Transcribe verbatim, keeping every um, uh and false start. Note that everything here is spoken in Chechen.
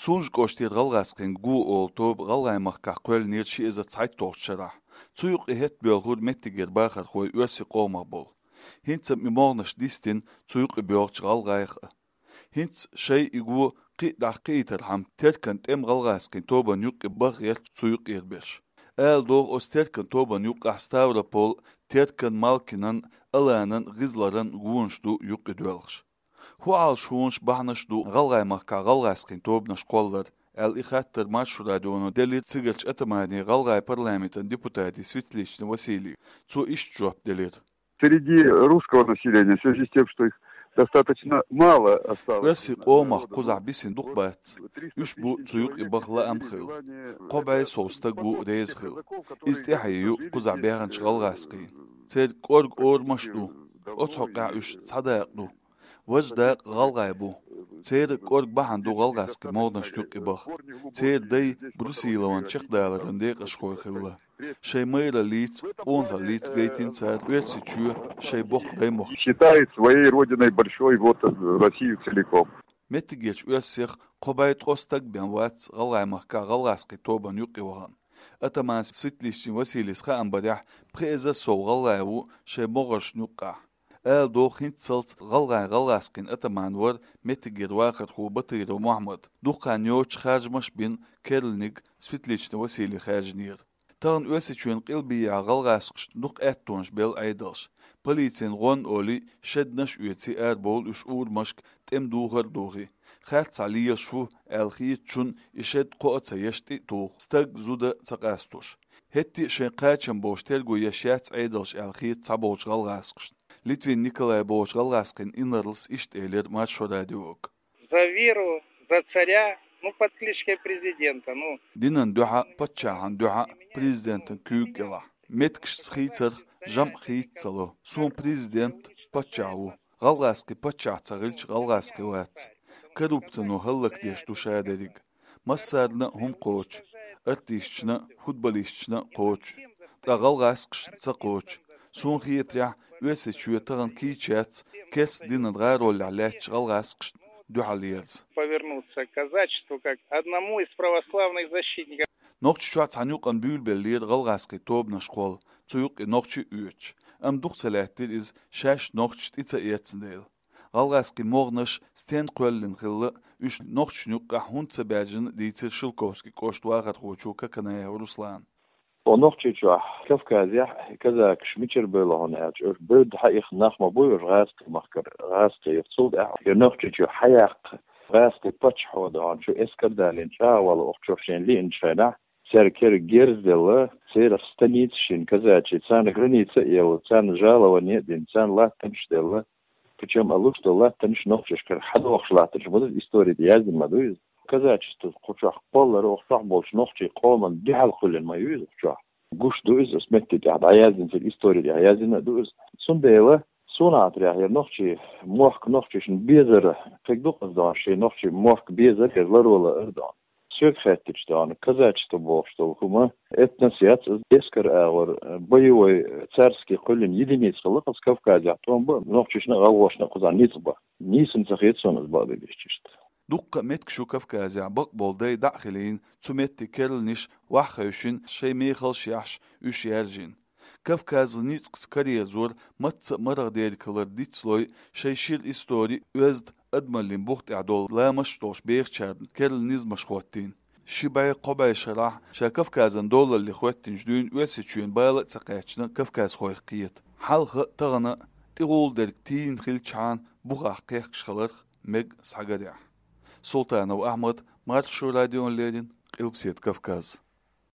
Сунжа кӀоштера гӀалгӀазкхийн го ола тоба ГӀалгӀай махкахь кхоьллинера ши эзар цхьайтталгӀачу шарахь. Цу юкъе хӀетта боьлхура меттигера бахархой оьрсийн къомах болу. ХӀинца-м и могӀанаш дистина цу юкъе боьлхучу гӀалгӀайх а. ХӀинца шайн и го кхин а дӀакхиийтархьама, Теркан тӀеман гӀалгӀазкхийн тобанна юккъе баха гӀерта цу юкъера берш. Ала догӀу, оцу Теркан тобанна юккъехь Ставрополан, Теркан, Малкинан, Аланан, ГӀизларан гонаш ду юккъе доьлхуш. ХӀун Ӏалашонаш, бахьанаш ду ГӀалгӀай махкахь гӀалгӀазкхийн тобанаш кхоллар, аьлла, и хаттар Маршо радионо делира цигарчу атамане, гӀалгӀайн парламентан депутате Светличный Василийга. Цо иштта жоп делира. Среди русского населения, в связи с тем, что их достаточно мало осталось. Оьрсийн къомах кхузахь бисина дукха бац. Уьш бу цу юкъе баха лаам хилла. Кхо бӀе сов стаг ву реза хилла. Иза тӀаьхье ю кхузахь баьхначу гӀалгӀазкхийн. Церан кӀорга орамаш а ду. Оцу хьокъехь уьш цхьа дакъа ду. Важа дакъа гӀалгӀай бу. Церан кӀорга бахьана ду гӀалгӀазкхийн могӀанашна юккъе баха. Церан дай Брусиловн чекхдаларан декъашхой хилла. Шайн майраллица, къонахаллица гайтина цара Оьрсийчоь шайн боккха даймохк. Считает своей родиной большой вот Россию целиком. Меттигерчу оьрсех кхо бӀе ткъо стаг бен вац ГӀалгӀай махкахь гӀалгӀазкхийн тобанна юккъе вахана. Атаман Светличный Василийс хаам барехь, пхи эзар сов гӀалгӀай ву шайн могӀаршна юккъехь. Ала догӀу, хӀинццалц гӀалгӀайн гӀалгӀазкхийн атаман вара меттигера вахархо Батыров Мохьмад. Дукха хан йоццуш харжамаш а бина, керланиг Светличный Василий хаьржинера. Тахана Оьрсийчоьнан къилбехьа гӀалгӀазкхашна дукха аьттонаш белла Ӏедалша. Полицина гӀонна олий, шеднаш а оьций, арабовлу уьш урамашка, тӀеман духар а духий. Харцахь лелаш ву аьлла хетачунна и шед кхоа а ца еш, тӀе а туху, стаг, зуда ца къастош. ХӀетте а шайн кхачам болуш терго еш яц Ӏедалша аьлла хета цхьаболчу гӀалгӀазкхашна. Литвин Николай бохучу гӀалгӀазкхийн инарлас иштта элира Маршо радиога. За веру, за царя, ну, под кличкой президента, ну. Динан дуьхьа, паччахьан дуьхьа, президентан куьйга кӀелахь. Меттигашца хийцарх жамӀ хийца ца ло. Суна президент, паччахь ву. ГӀалгӀазкхи паччахь ца хилча, гӀалгӀазкхи вац. Коррупцино хӀаллакдеш ду ша дерриг. Массарна а хӀума кхочу. Артисташна а, футболисташна а кхочу. Ткъа гӀалгӀазкхашна ца кхочу. Суна хетарехь, Оьрсийчоь тахана кийча яц керста динан гӀароллехь лаьттачу гӀалгӀазкхашна дуьхьал ерза. Повернуться к казачеству как одному из православных защитников. Нохчийчохь цхьана юкъана буьйлабеллера гӀалгӀазкхийн тобанаш кхолла, цу юккъе нохчий а оьцуш. Амма дукха ца лаьттира иза, шаьш нохчаша тӀе ца эцна дела. ГӀалгӀазкхийн могӀанаш стенна кхоьллина хилла, уьш нохчашна юккъехь хӀунда ца баьржина, дийцира Шелковски кӀоштан вахархочо Коканаев Руслана. О, Нохчийчохь, Кавказехь казакаш мичара бевлла хьуна аьлча, уьш бевдда хьаихна нах ма бу уьш гӀазкхийн махкара, гӀазкхий. Цул тӀаьхьа я Нохчийчу хьаяккха гӀазкхи паччахьо ду хьуна, чу эскар далийна чӀагӀо валла, охьа чу шайна лиъначу хенахь, цаьрга кера герз а делла, церах станица шина казачий, царна граница а елла, царна жалование а дина, царна латтанаш а делла, причем а луш долу латтанаш нохчашкара хьадохуш латтанаш ма ду, истори тӀе яздина ма ду иза. Казачество кху чохь кхоллар, охьа чохь болчу нохчийн къоман дуьхьал кхоьллина ма ю иза охьа чохь. Гуш ду иза, оцу меттиг тӀехь дӀаяздина, церан истори тӀехь яздина а ду иза. Цундела суна хетарехь, хӀара нохчийн мохк нохчашна безар, кхин дукха ду хьуна шен нохчийн мохк безар, хӀара ларвала ар ду хьуна. Соьга хаьттича ду хьуна, казачество бохуш долу хӀума этнос яц, иза эскар агӀор, боевой, царский кхоьллина единица хилла-кх оцу Кавказехь, тӀом бан нохчашна а, гӀалгӀашна а кхузахь ницкъ бан. Нийса ца хета суна иза, бакъдерг дийцича. Дуккха а меттигаш ю Кавказехь, бакъболу дай дӀа а хилийна, цу меттиг керланаш ваха хевшина, шайн мехалш а яхьаш, уьш яьржина. Кавказан ницкъаца караерзор мацца а марха дерг хилар дицлой, шайн шира истори, оьзда, адамаллин бух тӀехь долу ламасташ долуш бехачарна керла низамаш хӀоттийна. Ши бӀе, кхо бӀе шарахь ша Кавказан долалле хӀоьттинчу дуьйна Оьрсийчоьнан бала а ца кхаьчна кавказхойх кхета. Хьалха а, тахана а тӀехула дерг тийна хилчхьана, бухахь кхехкаш хиларх мега схьагарехь. Султанов Ахьмад, Маршо радиона леррина, Къилбаседа Кавказ.